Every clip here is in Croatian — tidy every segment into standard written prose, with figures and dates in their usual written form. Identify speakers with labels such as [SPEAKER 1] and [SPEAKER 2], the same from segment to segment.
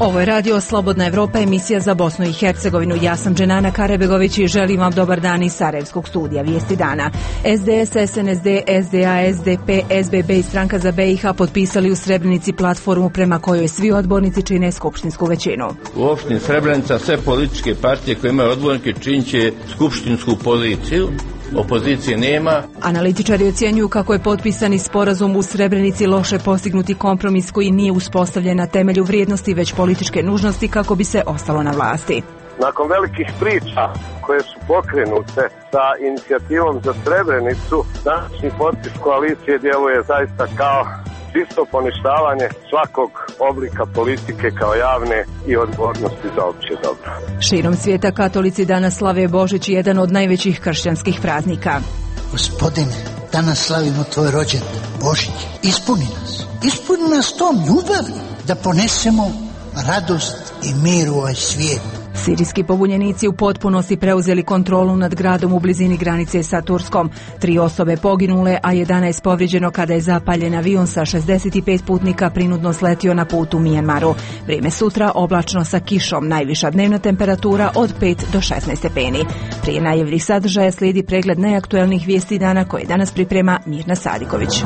[SPEAKER 1] Ovo je radio Slobodna Evropa, emisija za Bosnu i Hercegovinu. Ja sam Dženana Karebegović i želim vam dobar dan iz Sarajevskog studija. Vijesti dana. SDS, SNSD, SDA, SDP, SBB i Stranka za BiH potpisali u Srebrenici platformu prema kojoj svi odbornici čine skupštinsku većinu.
[SPEAKER 2] U opštini Srebrenica sve političke partije koje imaju odbornike činit će skupštinsku poziciju. Opozicije nema.
[SPEAKER 1] Analitičari ocjenjuju kako je potpisani sporazum u Srebrenici loše postignuti kompromis koji nije uspostavljen na temelju vrijednosti već političke nužnosti kako bi se ostalo na vlasti.
[SPEAKER 3] Nakon velikih priča koje su pokrenute sa inicijativom za Srebrenicu, današnji potpis koalicije djeluje zaista kao čisto poništavanje svakog oblika politike kao javne i odgovornosti za opće dobro.
[SPEAKER 1] Širom svijeta katolici danas slave Božić, jedan od najvećih kršćanskih praznika.
[SPEAKER 4] Gospodine, danas slavimo tvoj rođendan, Božić. Ispuni nas tom ljubavi da ponesemo radost i mir u ovaj svijet.
[SPEAKER 1] Sirijski pobunjenici u potpunosti preuzeli kontrolu nad gradom u blizini granice sa Turskom. 3 osobe poginule, a 11 povrijeđeno kada je zapaljen avion sa 65 putnika prinudno sletio na put u Mijanmaru. Vrijeme sutra oblačno sa kišom, najviša dnevna temperatura od 5 do 16 stepeni. Prije najavljenih sadržaja slijedi pregled najaktuelnijih vijesti dana koje danas priprema Mirna Sadiković.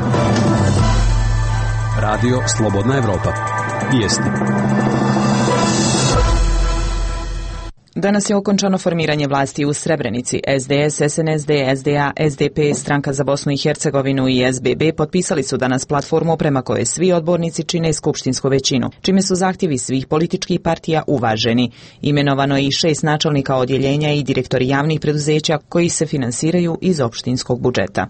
[SPEAKER 5] Radio Slobodna Evropa. Vijesti.
[SPEAKER 6] Danas je okončano formiranje vlasti u Srebrenici. SDS, SNSD, SDA, SDP, Stranka za Bosnu i Hercegovinu i SBB potpisali su danas platformu prema kojoj svi odbornici čine skupštinsku većinu, čime su zahtjevi svih političkih partija uvaženi. Imenovano je i 6 načelnika odjeljenja i direktori javnih preduzeća koji se finansiraju iz opštinskog budžeta.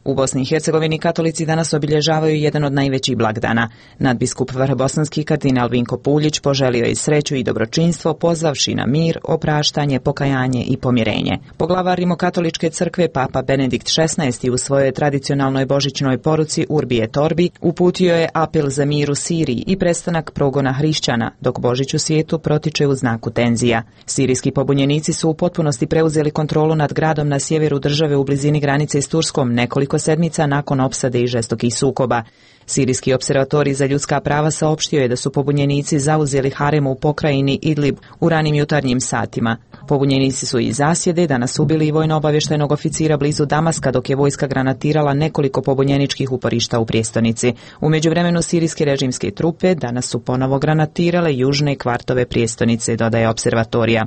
[SPEAKER 6] U Bosni i Hercegovini katolici danas obilježavaju jedan od najvećih blagdana. Nadbiskup vrhbosanski kardinal Vinko Puljić poželio je sreću i dobročinstvo pozvavši na mir, opraštanje, pokajanje i pomirenje. Poglavar Rimokatoličke crkve Papa Benedikt XVI u svojoj tradicionalnoj božićnoj poruci Urbi et Orbi uputio je apel za mir u Siriji i prestanak progona hrišćana, dok Božić u svijetu protiče u znaku tenzija. Sirijski pobunjenici su u potpunosti preuzeli kontrolu nad gradom na sjeveru države u blizini granice s Turskom nekoliko sedmica nakon opsade i žestokih sukoba. Sirijski opservatorij za ljudska prava saopštio je da su pobunjenici zauzeli harem u pokrajini Idlib u ranim jutarnjim satima. Pobunjenici su iz zasjede danas ubili i vojno-obavještajnog oficira blizu Damaska, dok je vojska granatirala nekoliko pobunjeničkih uporišta u prijestolnici. U međuvremenu sirijske režimske trupe danas su ponovo granatirale južne kvartove prijestolnice, dodaje opservatorija.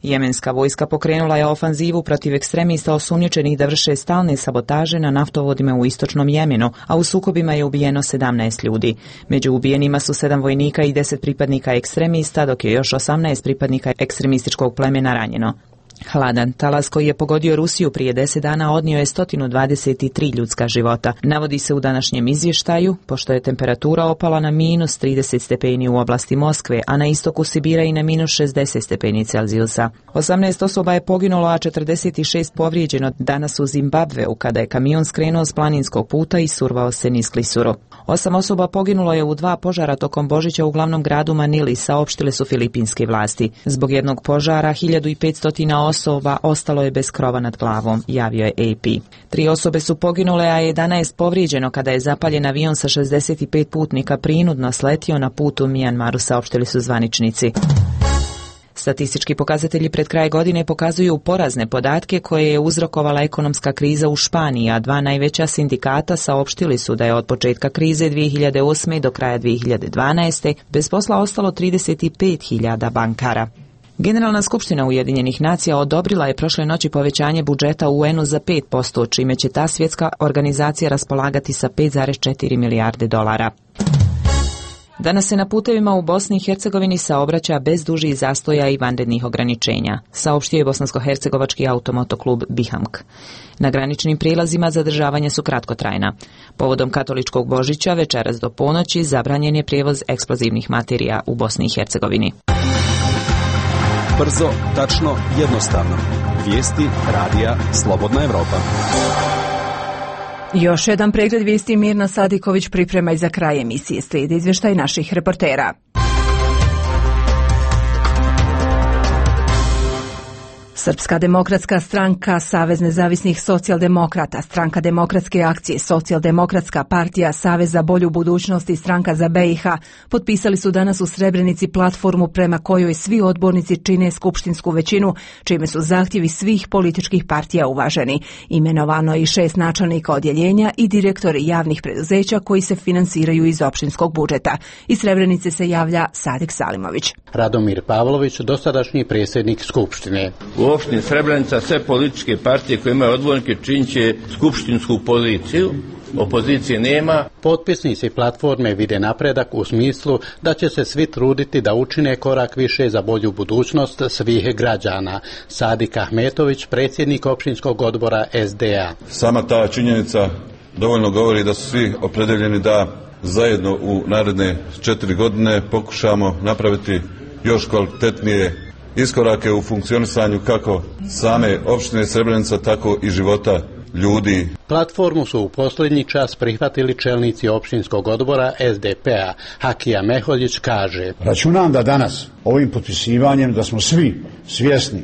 [SPEAKER 6] Jemenska vojska pokrenula je ofanzivu protiv ekstremista osumnjičenih da vrše stalne sabotaže na naftovodima u istočnom Jemenu, a u sukobima je ubijeno 17 ljudi. Među ubijenima su 7 vojnika i 10 pripadnika ekstremista, dok je još 18 pripadnika ekstremističkog plemena ranjeno. Hladan talas koji je pogodio Rusiju prije 10 dana odnio je 123 ljudska života. Navodi se u današnjem izvještaju, pošto je temperatura opala na minus 30 stepeni u oblasti Moskve, a na istoku Sibira i na minus 60 stepeni Celzijusa. 18 osoba je poginulo, a 46 povrijeđeno danas u Zimbabveu, kada je kamion skrenuo s planinskog puta i survao se niz klisuru. 8 osoba poginulo je u 2 požara tokom Božića u glavnom gradu Manili, saopštile su filipinske vlasti. Zbog jednog požara 1500 osoba ostalo je bez krova nad glavom, javio je AP. 3 osobe su poginule, a 11 povrijeđeno kada je zapaljen avion sa 65 putnika prinudno sletio na putu u Mijanmaru, saopštili su zvaničnici. Statistički pokazatelji pred kraj godine pokazuju porazne podatke koje je uzrokovala ekonomska kriza u Španiji, a 2 najveća sindikata saopštili su da je od početka krize 2008. do kraja 2012. bez posla ostalo 35.000 bankara. Generalna skupština Ujedinjenih nacija odobrila je prošle noći povećanje budžeta UN-u za 5%, čime će ta svjetska organizacija raspolagati sa 5,4 milijarde dolara. Danas se na putevima u Bosni i Hercegovini saobraća bez dužih zastoja i vanrednih ograničenja, saopštio je bosansko-hercegovački automotoklub Bihamk. Na graničnim prijelazima zadržavanja su kratkotrajna. Povodom katoličkog Božića večeras do ponoći zabranjen je prijevoz eksplozivnih materija u Bosni i Hercegovini.
[SPEAKER 5] Brzo, tačno, jednostavno. Vijesti radija Slobodna Evropa.
[SPEAKER 1] Još jedan pregled vijesti Mirna Sadiković priprema i za kraj emisije. Slijedi izvještaj naših reportera. Srpska demokratska stranka, Savez nezavisnih socijaldemokrata, Stranka demokratske akcije, Socijaldemokratska partija, Savez za bolju budućnost i Stranka za BiH potpisali su danas u Srebrenici platformu prema kojoj svi odbornici čine skupštinsku većinu, čime su zahtjevi svih političkih partija uvaženi. Imenovano je i 6 načelnika odjeljenja i direktori javnih preduzeća koji se finansiraju iz opštinskog budžeta. Iz Srebrenice se javlja Sadik Salimović.
[SPEAKER 7] Radomir Pavlović, dosadašnji predsjednik Skupštine.
[SPEAKER 2] U opštini Srebrenica sve političke partije koje imaju odbornike činit će skupštinsku poziciju. Opozicije nema.
[SPEAKER 7] Potpisnici platforme vide napredak u smislu da će se svi truditi da učine korak više za bolju budućnost svih građana. Sadik Ahmetović, predsjednik opštinskog odbora SDA.
[SPEAKER 8] Sama ta činjenica dovoljno govori da su svi opredeljeni da zajedno u naredne 4 godine pokušamo napraviti još kvalitetnije iskorake u funkcionisanju kako same opštine Srebrenica, tako i života ljudi.
[SPEAKER 7] Platformu su u posljednji čas prihvatili čelnici opštinskog odbora SDP-a. Hakija Meholjić kaže:
[SPEAKER 9] Računam da danas ovim potpisivanjem da smo svi svjesni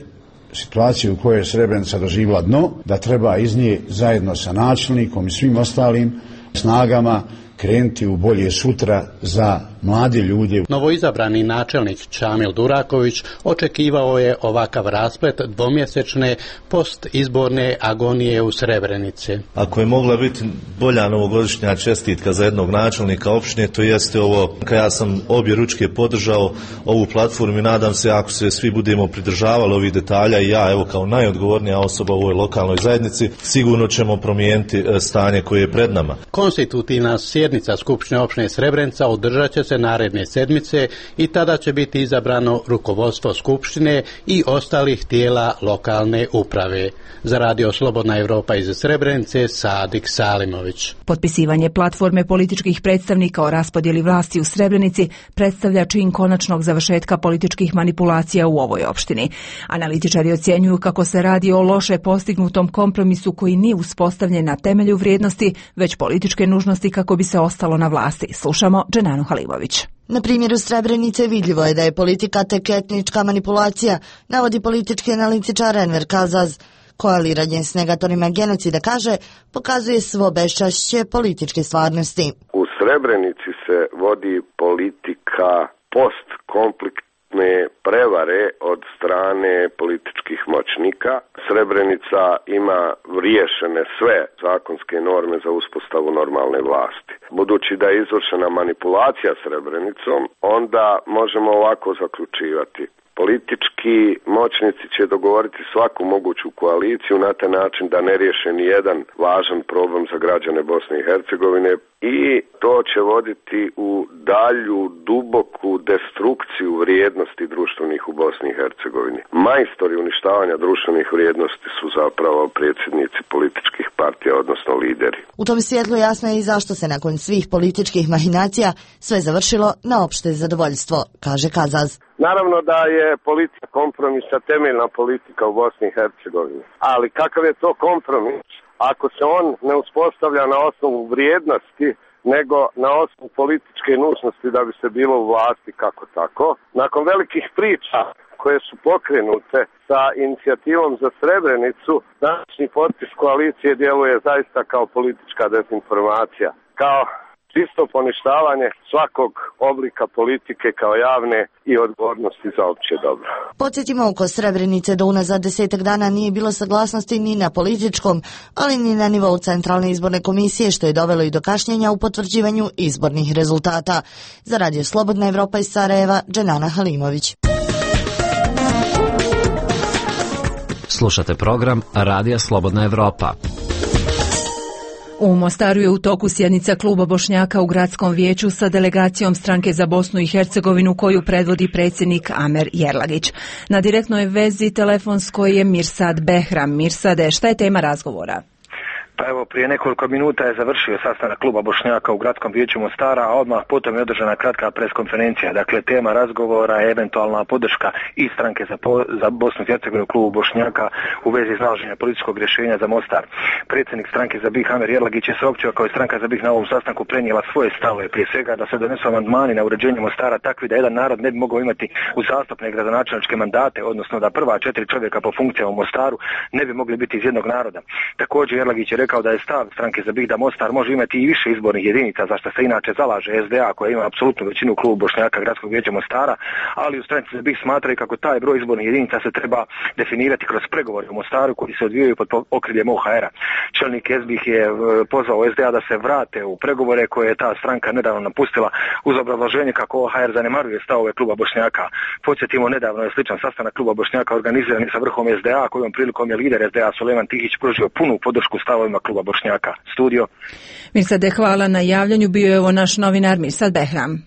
[SPEAKER 9] situacije u kojoj je Srebrenica doživjela dno, da treba iz nje zajedno sa načelnikom i svim ostalim snagama krenuti u bolje sutra za mladi ljudi.
[SPEAKER 7] Novoizabrani načelnik Čamil Duraković očekivao je ovakav rasplet dvomjesečne postizborne agonije u Srebrenici.
[SPEAKER 10] Ako je mogla biti bolja novogodišnja čestitka za jednog načelnika opštine, to jeste ovo. Ja sam obje ručke podržao ovu platformu i nadam se, ako se svi budemo pridržavali ovih detalja i ja, evo kao najodgovornija osoba u ovoj lokalnoj zajednici, sigurno ćemo promijeniti stanje koje je pred nama.
[SPEAKER 7] Konstitutivna sjednica Skupštine opštine Srebrenica održat će se naredne sedmice i tada će biti izabrano rukovodstvo Skupštine i ostalih tijela lokalne uprave. Za Radio Slobodna Evropa iz Srebrenice, Sadik Salimović.
[SPEAKER 1] Potpisivanje platforme političkih predstavnika o raspodjeli vlasti u Srebrenici predstavlja čin konačnog završetka političkih manipulacija u ovoj opštini. Analitičari ocjenjuju kako se radi o loše postignutom kompromisu koji nije uspostavljen na temelju vrijednosti, već političke nužnosti kako bi se ostalo na vlasti. Slušamo Dženanu Halilović.
[SPEAKER 11] Na primjeru Srebrenice vidljivo je da je politika tek etnička manipulacija, navodi politički analitičar Enver Kazaz. Koaliranje s negatorima genocida, kaže, pokazuje svo beščašće političke stvarnosti.
[SPEAKER 3] U Srebrenici se vodi politika postkonfliktne prevare od strane političkih moćnika. Srebrenica ima riješene sve zakonske norme za uspostavu normalne vlasti. Budući da je izvršena manipulacija Srebrenicom, onda možemo ovako zaključivati. Politički moćnici će dogovoriti svaku moguću koaliciju na taj način da ne riješe ni jedan važan problem za građane Bosne i Hercegovine i to će voditi u dalju duboku destrukciju vrijednosti društvenih u Bosni i Hercegovini. Majstori uništavanja društvenih vrijednosti su zapravo predsjednici političkih partija, odnosno lideri.
[SPEAKER 11] U tom svjetlu jasno je i zašto se nakon svih političkih mahinacija sve završilo na opšte zadovoljstvo, kaže Kazaz.
[SPEAKER 3] Naravno da je politika kompromisa temeljna politika u Bosni i Hercegovini. Ali kakav je to kompromis ako se on ne uspostavlja na osnovu vrijednosti, nego na osnovu političke nužnosti da bi se bilo u vlasti kako tako? Nakon velikih priča koje su pokrenute sa inicijativom za Srebrenicu, današnji potpis koalicije djeluje zaista kao politička dezinformacija, kao čisto poništavanje svakog oblika politike kao javne i odgovornosti za opće dobro.
[SPEAKER 11] Podsjetimo, oko Srebrenice do unazad 10 dana nije bilo saglasnosti ni na političkom, ali ni na nivou Centralne izborne komisije, što je dovelo i do kašnjenja u potvrđivanju izbornih rezultata. Za Radio Slobodna Evropa iz Sarajeva, Dženana Halimović.
[SPEAKER 12] Slušate program Radija Slobodna Evropa.
[SPEAKER 1] U Mostaru je u toku sjednica kluba Bošnjaka u gradskom vijeću sa delegacijom Stranke za Bosnu i Hercegovinu koju predvodi predsjednik Amer Jerlagić. Na direktnoj vezi telefonskoj je Mirsad Behram. Mirsade, šta je tema razgovora?
[SPEAKER 13] Pa evo, prije nekoliko minuta je završio sastanak kluba Bošnjaka u gradskom vijeću Mostara, a odmah potom je održana kratka preskonferencija. Dakle, tema razgovora je eventualna podrška i stranke za Bosnu i Hercegovinu klubu Bošnjaka u vezi iznalaženja političkog rješenja za Mostar. Predsjednik stranke za BiH Amer Jerlagić je saopćio kao je stranka za BiH na ovom sastanku prenijela svoje stavove, prije svega da se donesu amandmani na uređenje Mostara takvi da jedan narod ne bi mogao imati uzastopne gradonačelničke mandate, odnosno da prva 4 čovjeka po funkcijama u Mostaru ne bi mogli biti iz jednog naroda. Također Jerlagić je rekao da je stav stranke za BiH da Mostar može imati i više izbornih jedinica, za što se inače zalaže SDA koja ima apsolutnu većinu u klubu Bošnjaka gradskog vijeća Mostara, ali u stranci za BiH smatraju kako taj broj izbornih jedinica se treba definirati kroz pregovore u Mostaru koji se odvijaju pod okriljem OHR-a. Čelnik SBiH je pozvao SDA da se vrate u pregovore koje je ta stranka nedavno napustila uz obrazloženje kako OHR zanemaruje stavove kluba Bošnjaka. Podsjetimo, nedavno je sličan sastanak kluba Bošnjaka organiziran sa vrhom SDA, kojom prilikom je lider SDA Sulejman Tihić pružio punu podršku stavovima kluba Bošnjaka. Studio.
[SPEAKER 1] Mirsade, hvala na javljanju. Bio je ovo naš novinar Mirsad Behram.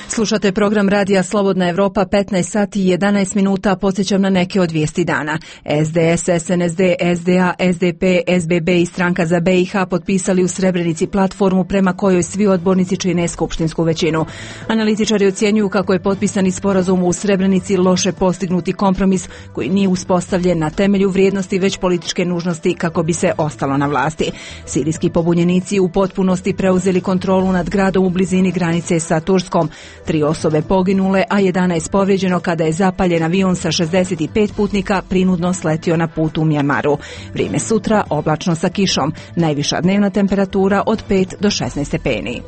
[SPEAKER 1] Slušate program Radija Slobodna Evropa, 15 sati i 11 minuta. Podsjećam na neke od vijesti dana. SDS, SNSD, SDA, SDP, SBB i stranka za BiH potpisali u Srebrenici platformu prema kojoj svi odbornici čine skupštinsku većinu. Analitičari ocjenjuju kako je potpisani sporazum u Srebrenici loše postignuti kompromis koji nije uspostavljen na temelju vrijednosti već političke nužnosti kako bi se ostalo na vlasti. Sirijski pobunjenici u potpunosti preuzeli kontrolu nad gradom u blizini granice sa Turskom. 3 osobe poginule, a 11 povrijeđeno kada je zapaljen avion sa 65 putnika prinudno sletio na putu u Mjanmaru. Vrijeme sutra oblačno sa kišom. Najviša dnevna temperatura od 5 do 16 stepeni.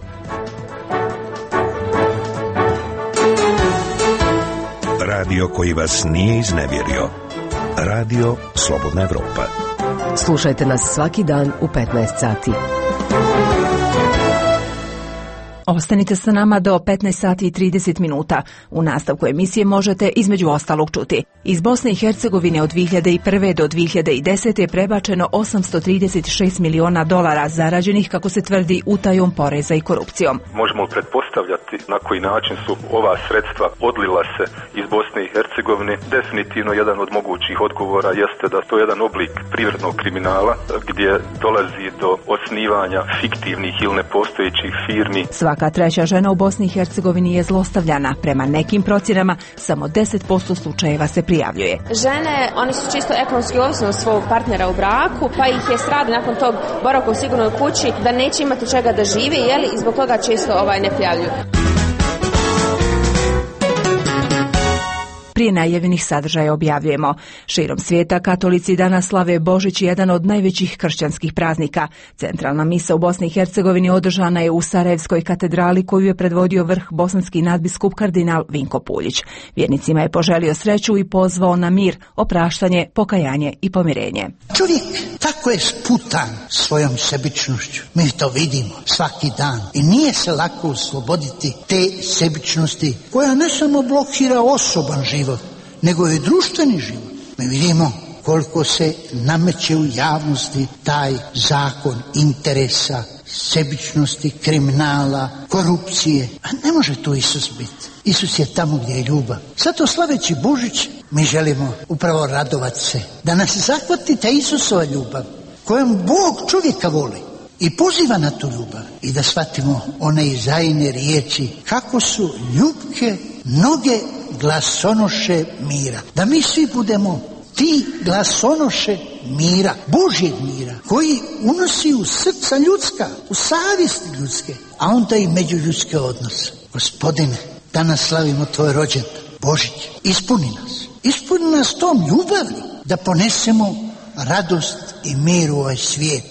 [SPEAKER 14] Radio koji vas nije iznevjerio. Radio Slobodna Evropa.
[SPEAKER 15] Slušajte nas svaki dan u 15 sati.
[SPEAKER 1] Ostanite sa nama do 15 sati i 30 minuta. U nastavku emisije možete između ostalog čuti. Iz Bosne i Hercegovine od 2001. do 2010. je prebačeno $836 miliona zarađenih, kako se tvrdi, utajom poreza i korupcijom.
[SPEAKER 16] Možemo pretpostavljati na koji način su ova sredstva odlila se iz Bosne i Hercegovine. Definitivno jedan od mogućih odgovora jeste da to je jedan oblik privrednog kriminala gdje dolazi do osnivanja fiktivnih ili nepostojećih firmi.
[SPEAKER 1] Svaka treća žena u Bosni i Hercegovini je zlostavljana. Prema nekim procjenama, samo 10% slučajeva se prijavljuje.
[SPEAKER 17] Žene, one su čisto ekonomski ovisne od svog partnera u braku, pa ih je strah nakon tog boravka u sigurnoj kući da neće imati čega da žive, i zbog toga često ne prijavljuju.
[SPEAKER 1] Prije najavljenih sadržaja objavljujemo. Širom svijeta katolici danas slave Božić, jedan od najvećih kršćanskih praznika. Centralna misa u Bosni i Hercegovini održana je u Sarajevskoj katedrali koju je predvodio vrh bosanski nadbiskup kardinal Vinko Puljić. Vjernicima je poželio sreću i pozvao na mir, opraštanje, pokajanje i pomirenje.
[SPEAKER 4] Čovjek tako je sputan svojom sebičnošću. Mi to vidimo svaki dan i nije se lako osloboditi te sebičnosti koja ne samo blokira osoban život, nego i društveni život. Mi vidimo koliko se nameće u javnosti taj zakon interesa, sebičnosti, kriminala, korupcije. A ne može tu Isus biti. Isus je tamo gdje je ljubav. Zato slaveći Božić mi želimo upravo radovati se. Da nas zahvati ta Isusova ljubav kojom Bog čovjeka voli i poziva na tu ljubav. I da shvatimo one Izajine riječi kako su ljubke noge glasonoše mira. Da mi svi budemo ti glasonoše mira, Božjeg mira, koji unosi u srca ljudska, u savjesti ljudske, a onda i međuljudske odnose. Gospodine, danas slavimo tvoj rođendan, Božić, ispuni nas tom ljubavi, da ponesemo radost i mir u ovaj svijet.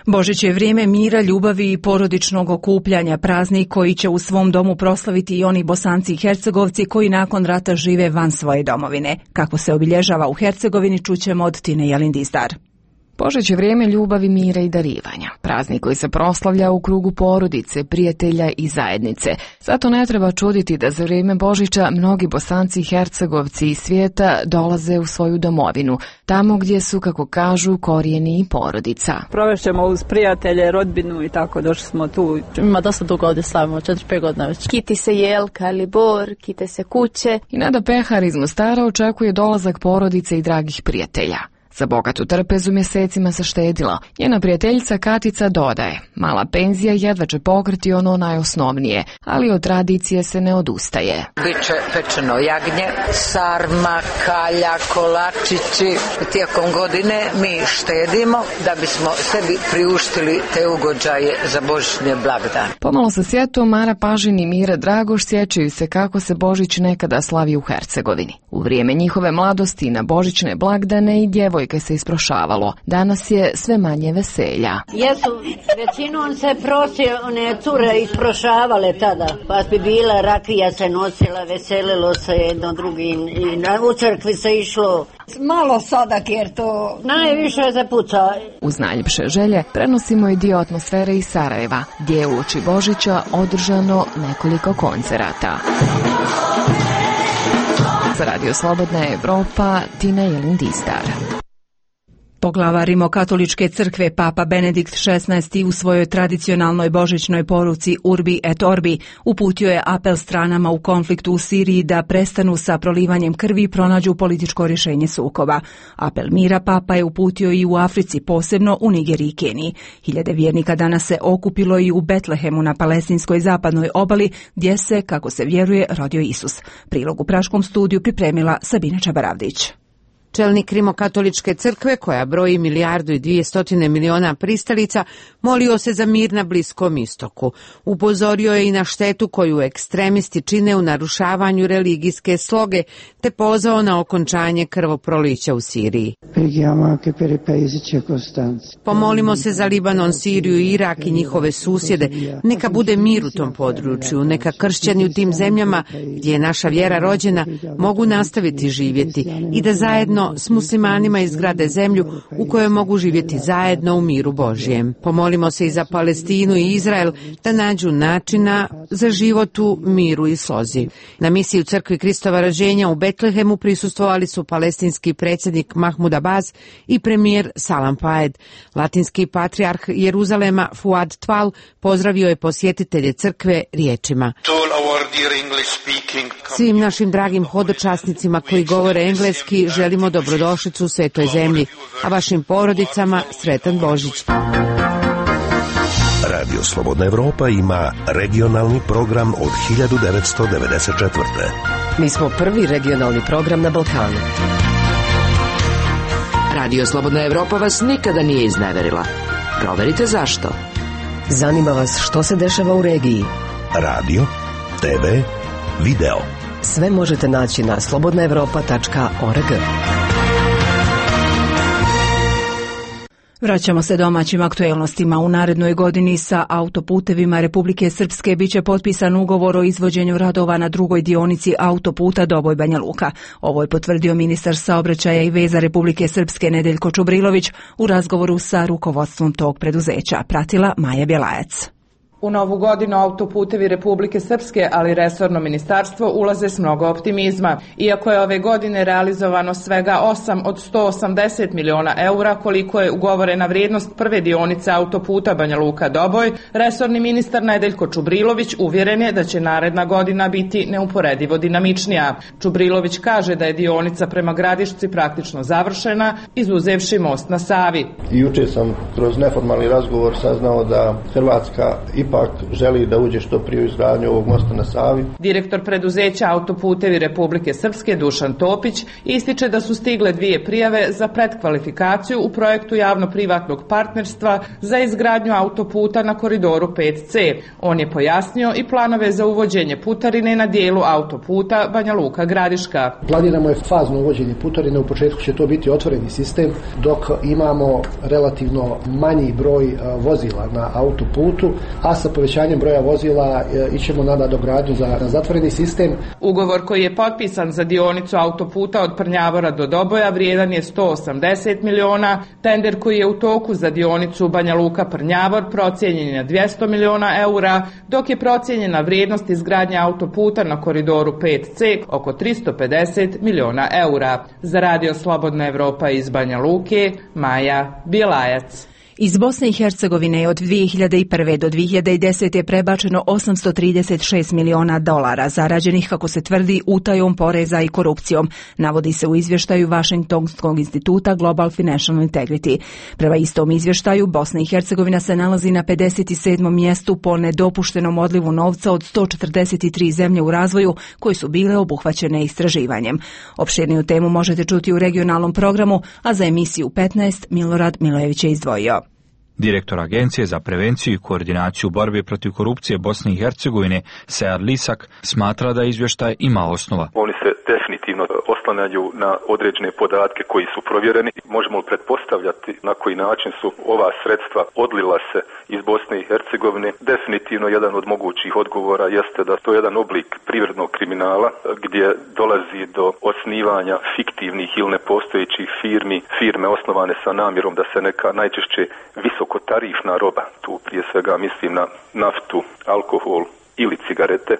[SPEAKER 1] Božić je vrijeme mira, ljubavi i porodičnog okupljanja, praznik koji će u svom domu proslaviti i oni Bosanci i Hercegovci koji nakon rata žive van svoje domovine. Kako se obilježava u Hercegovini čućemo od Tine Jalindistar.
[SPEAKER 18] Božić je vrijeme ljubavi, mira i darivanja. Praznik koji se proslavlja u krugu porodice, prijatelja i zajednice. Zato ne treba čuditi da za vrijeme Božića mnogi Bosanci i Hercegovci iz svijeta dolaze u svoju domovinu, tamo gdje su, kako kažu, korijeni i porodica.
[SPEAKER 19] Provešćemo uz prijatelje, rodbinu i tako, došli smo tu.
[SPEAKER 20] Ima dosta dugo ovdje slavimo, 4-5 godina već.
[SPEAKER 21] Kiti se jelka ili bor, kite se kuće.
[SPEAKER 18] I Nada Pehar iz Mostara očekuje dolazak porodice i dragih prijatelja. Za bogatu trpezu mjesecima se štedilo. Njena prijateljica Katica dodaje, mala penzija jedva će pokriti ono najosnovnije, ali od tradicije se ne odustaje.
[SPEAKER 22] Biće pečeno jagnje, sarma, kalja, kolačići. Tijekom godine mi štedimo da bismo sebi priuštili te ugođaje za božićne blagdane.
[SPEAKER 18] Pomalo sa sjetom Mara Pažin i Mira Dragoš sjećaju se kako se Božić nekada slavi u Hercegovini. U vrijeme njihove mladosti na božićne blagdane i djevojke se isprošavalo. Danas je sve manje veselja.
[SPEAKER 23] Jesu, većinom se one cure isprošavale tada, pa bi bila rakija se nosila, veselilo se jedno drugim i u crkvi se išlo. Malo sadak jer to najviše se puca.
[SPEAKER 18] Uz najljepše želje prenosimo i dio atmosfere iz Sarajeva, gdje je uoči Božića održano nekoliko koncerata. Za Radio Slobodna Evropa, Tina Jelindistar.
[SPEAKER 1] Poglavar Rimokatoličke crkve Papa Benedikt XVI u svojoj tradicionalnoj božićnoj poruci Urbi et Orbi uputio je apel stranama u konfliktu u Siriji da prestanu sa prolivanjem krvi i pronađu političko rješenje sukoba. Apel mira Papa je uputio i u Africi, posebno u Nigeriji i Keniji. Hiljade vjernika danas se okupilo i u Betlehemu na palestinskoj zapadnoj obali, gdje se, kako se vjeruje, rodio Isus. Prilog u Praškom studiju pripremila Sabina Čabaravdić.
[SPEAKER 24] Čelnik Rimokatoličke crkve, koja broji 1,2 milijarde pristalica, molio se za mir na Bliskom istoku. Upozorio je i na štetu koju ekstremisti čine u narušavanju religijske sloge, te pozvao na okončanje krvoprolića u Siriji. Pomolimo se za Libanon, Siriju i Irak i njihove susjede. Neka bude mir u tom području, neka kršćani u tim zemljama, gdje je naša vjera rođena, mogu nastaviti živjeti i da zajedno s muslimanima izgrade zemlju u kojoj mogu živjeti zajedno u miru Božjem. Pomolimo se i za Palestinu i Izrael da nađu načina za život u miru i slozi. Na misiji u crkvi Kristova rođenja u Betlehemu prisustvovali su palestinski predsjednik Mahmud Abbas i premijer Salam Faed. Latinski patrijarh Jeruzalema Fuad Tval pozdravio je posjetitelje crkve riječima: svim našim dragim hodočasnicima koji govore engleski želimo dobrodošlicu u svetoj zemlji, a vašim porodicama sretan Božić.
[SPEAKER 14] Radio Slobodna Evropa ima regionalni program od 1994.
[SPEAKER 15] Mi smo prvi regionalni program na Balkanu.
[SPEAKER 25] Radio Slobodna Evropa vas nikada nije izneverila. Proverite zašto.
[SPEAKER 15] Zanima vas što se dešava u regiji.
[SPEAKER 14] Radio, TV, video.
[SPEAKER 15] Sve možete naći na slobodnaevropa.org.
[SPEAKER 1] Vraćamo se domaćim aktuelnostima. U narednoj godini sa autoputevima Republike Srpske biće potpisan ugovor o izvođenju radova na drugoj dionici autoputa Doboj-Banja Luka. Ovo je potvrdio ministar saobraćaja i veza Republike Srpske Nedeljko Čubrilović u razgovoru sa rukovodstvom tog preduzeća. Pratila Maja Bjelajac.
[SPEAKER 26] U novu godinu autoputevi Republike Srpske, ali i resorno ministarstvo ulaze s mnogo optimizma. Iako je ove godine realizovano svega 8 od 180 miliona eura, koliko je ugovorena vrijednost prve dionice autoputa Banja Luka-Doboj, resorni ministar Nedeljko Čubrilović uvjeren je da će naredna godina biti neuporedivo dinamičnija. Čubrilović kaže da je dionica prema Gradišci praktično završena, izuzevši most na Savi.
[SPEAKER 27] Juče sam kroz neformalni razgovor saznao da Hrvatska ipak želi da uđe što prije u izgradnju ovog mosta na Savi.
[SPEAKER 26] Direktor preduzeća Autoputevi Republike Srpske Dušan Topić ističe da su stigle 2 prijave za pretkvalifikaciju u projektu javno-privatnog partnerstva za izgradnju autoputa na koridoru 5C. On je pojasnio i planove za uvođenje putarine na dijelu autoputa Banja Luka-Gradiška.
[SPEAKER 28] Planiramo je fazno uvođenje putarine, u početku će to biti otvoreni sistem, dok imamo relativno manji broj vozila na autoputu, a sa povećanjem broja vozila ićemo na nadogradnju za zatvoreni sistem.
[SPEAKER 26] Ugovor koji je potpisan za dionicu autoputa od Prnjavora do Doboja vrijedan je 180 miliona, tender koji je u toku za dionicu Banja Luka Prnjavor procijenjen je na 200 miliona eura, dok je procijenjena vrijednost izgradnje autoputa na koridoru 5C oko 350 miliona eura. Za Radio Slobodna Evropa iz Banja Luke, Maja Bjelajac.
[SPEAKER 1] Iz Bosne i Hercegovine je od 2001. do 2010. je prebačeno $836 miliona zarađenih, kako se tvrdi, utajom poreza i korupcijom, navodi se u izvještaju Washingtonskog instituta Global Financial Integrity. Prema istom izvještaju, Bosna i Hercegovina se nalazi na 57. mjestu po nedopuštenom odlivu novca od 143 zemlje u razvoju koje su bile obuhvaćene istraživanjem. Opširniju temu možete čuti u regionalnom programu, a za emisiju 15 Milorad Milojević je izdvojio.
[SPEAKER 2] Direktor Agencije za prevenciju i koordinaciju borbe protiv korupcije Bosne i Hercegovine, Sead Lisak, smatra da izvještaj ima osnova.
[SPEAKER 16] Oni se definitivno oslanjaju na određene podatke koji su provjereni. Možemo pretpostavljati na koji način su ova sredstva odlila se iz Bosne i Hercegovine. Definitivno jedan od mogućih odgovora jeste da to je jedan oblik privrednog kriminala gdje dolazi do osnivanja fiktivnih ili nepostojećih firme osnovane sa namjerom da se neka najčešće visokotarifna roba, tu prije svega mislim na naftu, alkohol ili cigarete,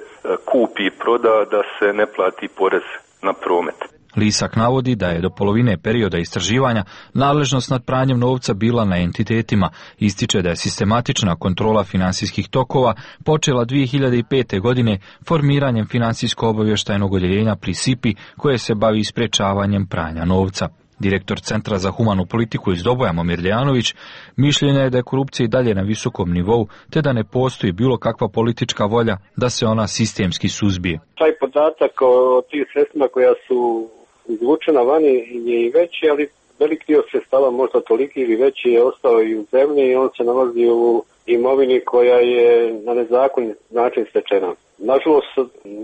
[SPEAKER 16] kupi i proda da se ne plati porez na promet.
[SPEAKER 2] Lisak navodi da je do polovine perioda istraživanja nadležnost nad pranjem novca bila na entitetima. Ističe da je sistematična kontrola finansijskih tokova počela 2005. godine formiranjem financijsko-obavještajnog odjeljenja pri SIPI koje se bavi sprečavanjem pranja novca. Direktor Centra za humanu politiku iz Doboja, Momir Dejanović, mišljenja je da je korupcija i dalje na visokom nivou, te da ne postoji bilo kakva politička volja da se ona sistemski suzbije.
[SPEAKER 3] Taj podatak o tih sredstvima koja su izvučena vani je i veći, ali velik dio sredstava, možda toliki ili veći, je ostao i u zemlji i on se nalazi u imovini koja je na nezakonit način stečena. Nažalost,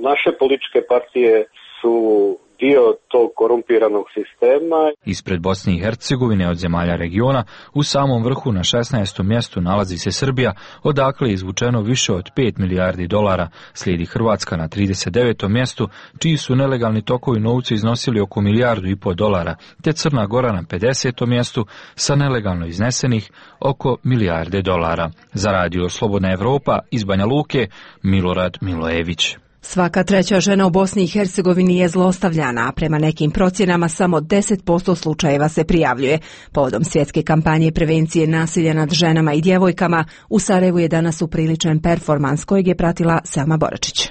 [SPEAKER 3] naše političke partije su dio tog korumpiranog sistema.
[SPEAKER 2] Ispred Bosne i Hercegovine od zemalja regiona u samom vrhu na 16. mjestu nalazi se Srbija, odakle je izvučeno više od $5 milijardi. Slijedi Hrvatska na 39. mjestu, čiji su nelegalni tokovi novca iznosili oko $1,5 milijardu, te Crna Gora na 50. mjestu sa nelegalno iznesenih oko $1 milijarde. Za Radio Slobodna Evropa iz Banja Luke, Milorad Milojević.
[SPEAKER 1] Svaka treća žena u Bosni i Hercegovini je zlostavljana, a prema nekim procjenama samo 10% slučajeva se prijavljuje. Povodom svjetske kampanje prevencije nasilja nad ženama i djevojkama, u Sarajevu je danas upriličen performans kojeg je pratila Selma Boračić.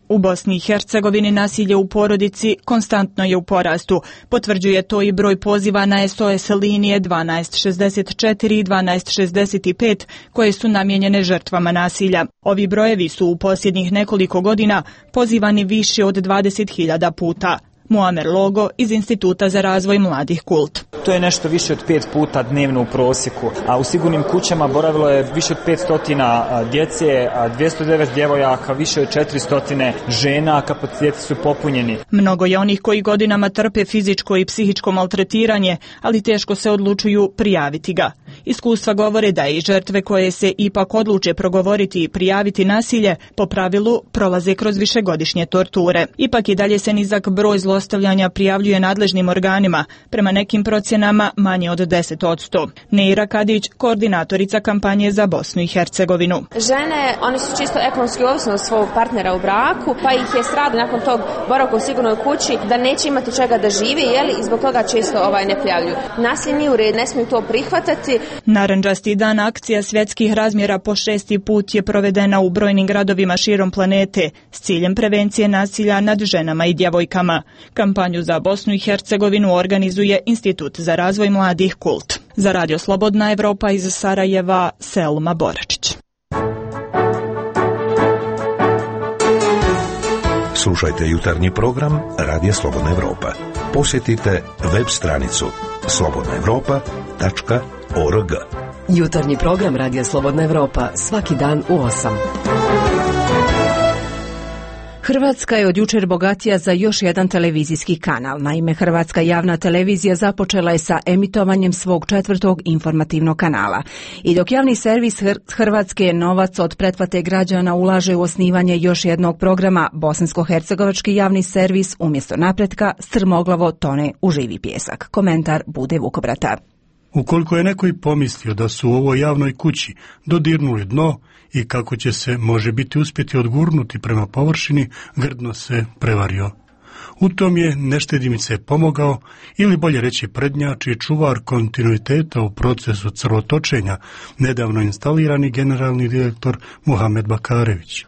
[SPEAKER 5] U Bosni i Hercegovini nasilje u porodici konstantno je u porastu. Potvrđuje to i broj poziva na SOS linije 1264 i 1265 koje su namijenjene žrtvama nasilja. Ovi brojevi su u posljednjih nekoliko godina pozivani više od 20.000 puta. Muamer Logo iz Instituta za razvoj mladih Kult.
[SPEAKER 6] To je nešto više od 5 puta dnevno u prosjeku, a u sigurnim kućama boravilo je više od 500 djece, 209 djevojaka, više od 400 žena, kapaciteti su popunjeni.
[SPEAKER 5] Mnogo je onih koji godinama trpe fizičko i psihičko maltretiranje, ali teško se odlučuju prijaviti ga. Iskustva govore da i žrtve koje se ipak odluče progovoriti i prijaviti nasilje, po pravilu prolaze kroz višegodišnje torture. Ipak i dalje se nizak broj zlostavljanja prijavljuje nadležnim organima, prema nekim procjenama manje od 10%. Neira Kadić, koordinatorica kampanje za Bosnu i Hercegovinu.
[SPEAKER 17] Žene, one su čisto ekonomski ovisne od svog partnera u braku, pa ih je strah nakon tog boravka u sigurnoj kući da neće imati čega da živi, i zbog toga često ne prijavljuju. Nasilje nije u redu, ne smiju to prihvatati.
[SPEAKER 5] Narandžasti dan akcija svjetskih razmjera po 6. put je provedena u brojnim gradovima širom planete s ciljem prevencije nasilja nad ženama i djevojkama. Kampanju za Bosnu i Hercegovinu organizuje Institut za razvoj mladih Kult. Za Radio Slobodna Evropa iz Sarajeva, Selma Boračić.
[SPEAKER 14] Slušajte jutarnji program Radija Slobodna Evropa. Posjetite web stranicu slobodnaevropa.org.
[SPEAKER 15] Jutarnji program Radija Slobodna Evropa svaki dan u 8.
[SPEAKER 1] Hrvatska je od jučer bogatija za još jedan televizijski kanal. Naime, Hrvatska javna televizija započela je sa emitovanjem svog 4. informativnog kanala. I dok javni servis Hrvatske novac od pretplate građana ulaže u osnivanje još jednog programa, bosansko-hercegovački javni servis umjesto napretka strmoglavo tone u živi pijesak. Komentar Bude Vukobrata.
[SPEAKER 4] Ukoliko je neko i pomislio da su u ovoj javnoj kući dodirnuli dno i kako će se može biti uspjeti odgurnuti prema površini, grdno se prevario. U tom je neštedimice pomogao, ili bolje reći prednjači i čuvar kontinuiteta u procesu crvotočenja, nedavno instalirani generalni direktor Muhamed Bakarević.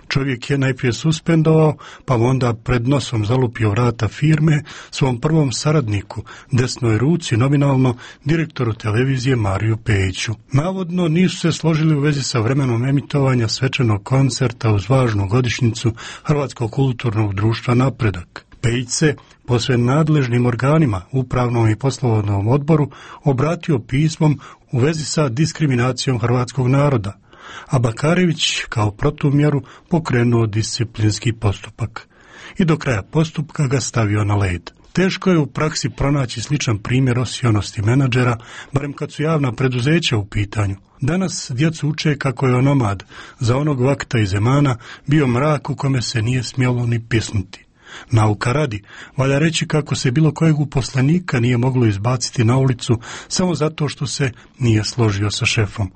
[SPEAKER 4] Čovjek je najprije suspendovao, pa onda pred nosom zalupio vrata firme svom prvom saradniku, desnoj ruci, nominalno direktoru televizije Mariju Pejiću. Navodno nisu se složili u vezi sa vremenom emitovanja svečanog koncerta uz važnu godišnjicu Hrvatskog kulturnog društva Napredak. Pejić se posve nadležnim organima, upravnom i poslovodnom odboru, obratio pismom u vezi sa diskriminacijom hrvatskog naroda, a Bakarević kao protumjeru pokrenuo disciplinski postupak. I do kraja postupka ga stavio na led. Teško je u praksi pronaći sličan primjer osionosti menadžera, barem kad su javna preduzeća u pitanju. Danas djecu uče kako je onomad za onog vakta iz Zemana bio mrak u kome se nije smjelo ni pisnuti. Nauka radi, valja reći kako se bilo kojeg uposlenika nije moglo izbaciti na ulicu samo zato što se nije složio sa šefom.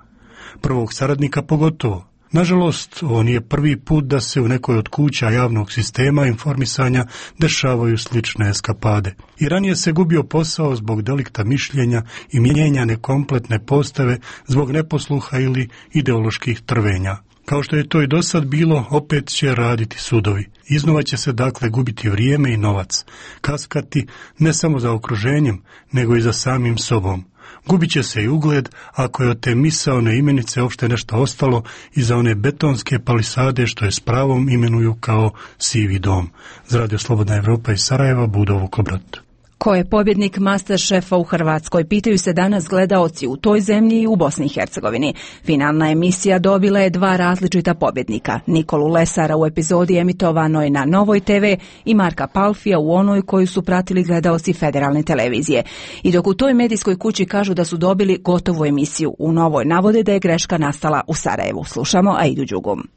[SPEAKER 4] Prvog saradnika pogotovo. Nažalost, ovo nije prvi put da se u nekoj od kuća javnog sistema informisanja dešavaju slične eskapade. I ranije se gubio posao zbog delikta mišljenja i mijenjane kompletne postave zbog neposluha ili ideoloških trvenja. Kao što je to i dosad bilo, opet će raditi sudovi. Iznova će se dakle gubiti vrijeme i novac, kaskati ne samo za okruženjem, nego i za samim sobom. Gubit će se i ugled ako je od te misaone imenice uopšte nešto ostalo i za one betonske palisade što je s pravom imenuju kao sivi dom. Za Radio Slobodna Evropa iz Sarajeva, Budo Vukobrat.
[SPEAKER 1] Ko je pobjednik Masterchefa u Hrvatskoj, pitaju se danas gledaoci u toj zemlji i u Bosni i Hercegovini. Finalna emisija dobila je 2 različita pobjednika. Nikolu Lesara u epizodi emitovanoj na Novoj TV i Marka Palfija u onoj koju su pratili gledaoci federalne televizije. I dok u toj medijskoj kući kažu da su dobili gotovu emisiju, u Novoj navode da je greška nastala u Sarajevu. Slušamo Aidu Đugum.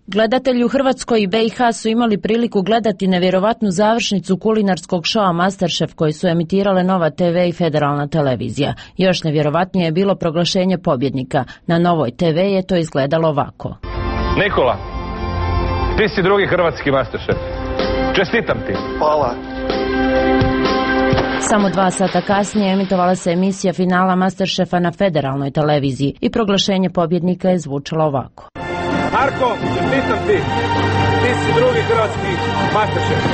[SPEAKER 7] Gledatelji u Hrvatskoj i BiH su imali priliku gledati nevjerovatnu završnicu kulinarskog šoa Masterchef koji su emitirale Nova TV i federalna televizija. Još nevjerovatnije je bilo proglašenje pobjednika. Na Novoj TV je to izgledalo ovako.
[SPEAKER 8] Nikola, ti si drugi hrvatski Masterchef. Čestitam ti.
[SPEAKER 9] Hvala.
[SPEAKER 7] Samo 2 sata kasnije emitovala se emisija finala Masterchefa na federalnoj televiziji i proglašenje pobjednika je zvučalo ovako.
[SPEAKER 8] Marko, čestitam ti. Ti si drugi hrvatski Masterchef.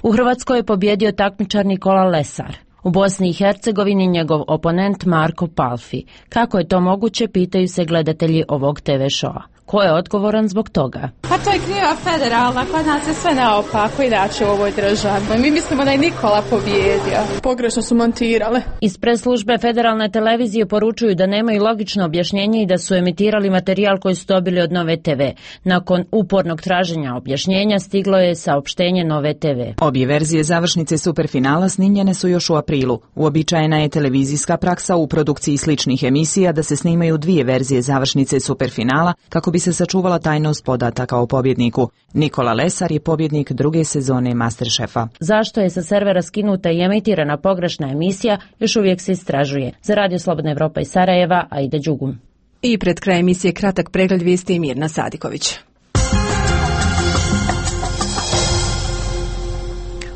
[SPEAKER 7] U Hrvatskoj je pobjedio takmičar Nikola Lesar. U Bosni i Hercegovini njegov oponent Marko Palfi. Kako je to moguće, pitaju se gledatelji ovog TV šoa. Ko je odgovoran zbog toga?
[SPEAKER 10] Pa to je kriva federalna, kod nas je sve naopako inače u ovoj državi. Mi mislimo da je Nikola pobjedio. Pogrešno su montirale.
[SPEAKER 7] Iz press-službe federalne televizije poručuju da nemaju logično objašnjenje i da su emitirali materijal koji su dobili od Nove TV. Nakon upornog traženja objašnjenja stiglo je saopštenje Nove TV.
[SPEAKER 11] Obje verzije završnice superfinala snimljene su još u aprilu. Uobičajena je televizijska praksa u produkciji sličnih emisija da se snimaju 2 verzije završnice superfinala kako bi se sačuvala tajnost podataka o pobjedniku. Nikola Lesar je pobjednik 2. sezone Masterchefa.
[SPEAKER 7] Zašto je sa servera skinuta i emitirana pogrešna emisija, još uvijek se istražuje. Za Radio Slobodna Evropa iz Sarajeva, Aida Đugum.
[SPEAKER 1] I pred kraj emisije kratak pregled vijesti Mirna Sadiković.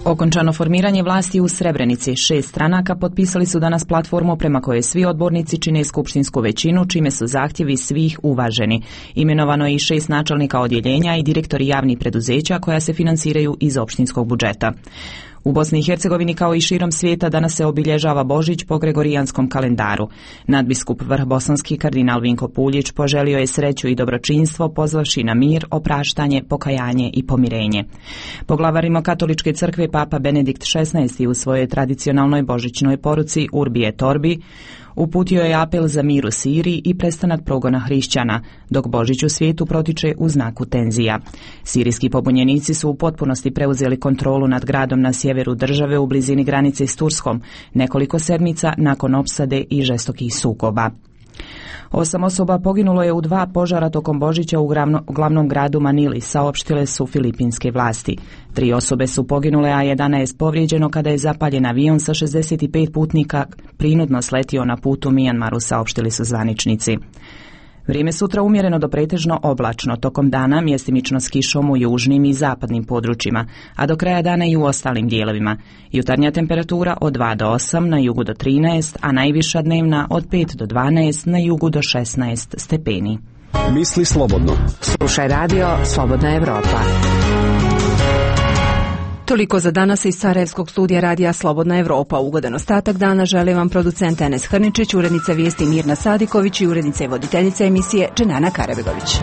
[SPEAKER 11] Okončano formiranje vlasti u Srebrenici. 6 stranaka potpisali su danas platformu prema kojoj svi odbornici čine skupštinsku većinu, čime su zahtjevi svih uvaženi. Imenovano je i 6 načelnika odjeljenja i direktori javnih preduzeća koja se financiraju iz opštinskog budžeta. U Bosni i Hercegovini kao i širom svijeta danas se obilježava Božić po gregorijanskom kalendaru. Nadbiskup Vrhbosanski kardinal Vinko Puljić poželio je sreću i dobročinstvo pozvavši na mir, opraštanje, pokajanje i pomirenje. Poglavar Rimokatoličke crkve Papa Benedikt XVI u svojoj tradicionalnoj božićnoj poruci Urbi et Orbi Uputio je apel za mir u Siriji i prestanak progona hrišćana, dok Božić u svijetu protiče u znaku tenzija. Sirijski pobunjenici su u potpunosti preuzeli kontrolu nad gradom na sjeveru države u blizini granice s Turskom, nekoliko sedmica nakon opsade i žestokih sukoba. 8 osoba poginulo je u 2 požara tokom Božića u glavnom gradu Manili, saopštile su filipinske vlasti. 3 osobe su poginule, a 11 povrijeđeno kada je zapaljen avion sa 65 putnika prinudno sletio na putu Mijanmaru, saopštili su zvaničnici. Vrijeme sutra umjereno do pretežno oblačno, tokom dana mjestimično s kišom u južnim i zapadnim područjima, a do kraja dana i u ostalim dijelovima. Jutarnja temperatura od 2 do 8, na jugu do 13, a najviša dnevna od 5 do 12, na jugu do 16 stepeni.
[SPEAKER 9] Misli slobodno.
[SPEAKER 24] Slušaj radio Slobodna Evropa.
[SPEAKER 1] Toliko za danas iz Sarajevskog studija radija Slobodna Evropa. Ugodan ostatak dana želi vam producent Enes Hrničić, urednica vijesti Mirna Sadiković i urednica i voditeljica emisije Dženana Karabegović.